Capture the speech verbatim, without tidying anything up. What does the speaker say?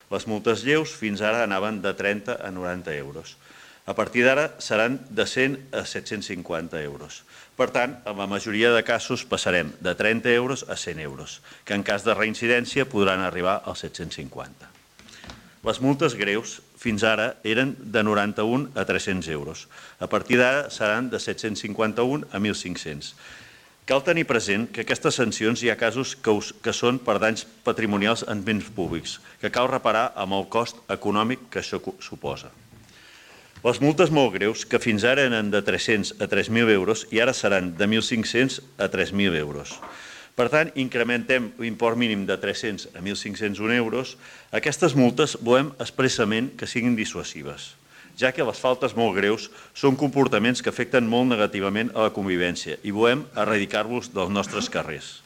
Les multes lleus fins ara anaven de trenta a noranta euros. A partir d'ara seran de cent a set-cents cinquanta euros. Per tant, en la majoria de casos passarem de trenta euros a cent euros, que en cas de reincidència podran arribar als set-cents cinquanta. Les multes greus fins ara eren de noranta-un a tres-cents euros. A partir d'ara seran de set-cents cinquanta-un a mil cinc-cents. Cal tenir present que aquestes sancions hi ha casos que, us, que són per danys patrimonials en béns públics, que cal reparar amb el cost econòmic que això suposa. Les multes molt greus, que fins ara eren de tres-cents a tres mil euros i ara seran de mil cinc-cents a tres mil euros. Per tant, incrementem l'import mínim de tres-cents a mil cinc-cents un euros. Aquestes multes volem expressament que siguin dissuasives, ja que les faltes molt greus són comportaments que afecten molt negativament a la convivència i volem erradicar-los dels nostres carrers.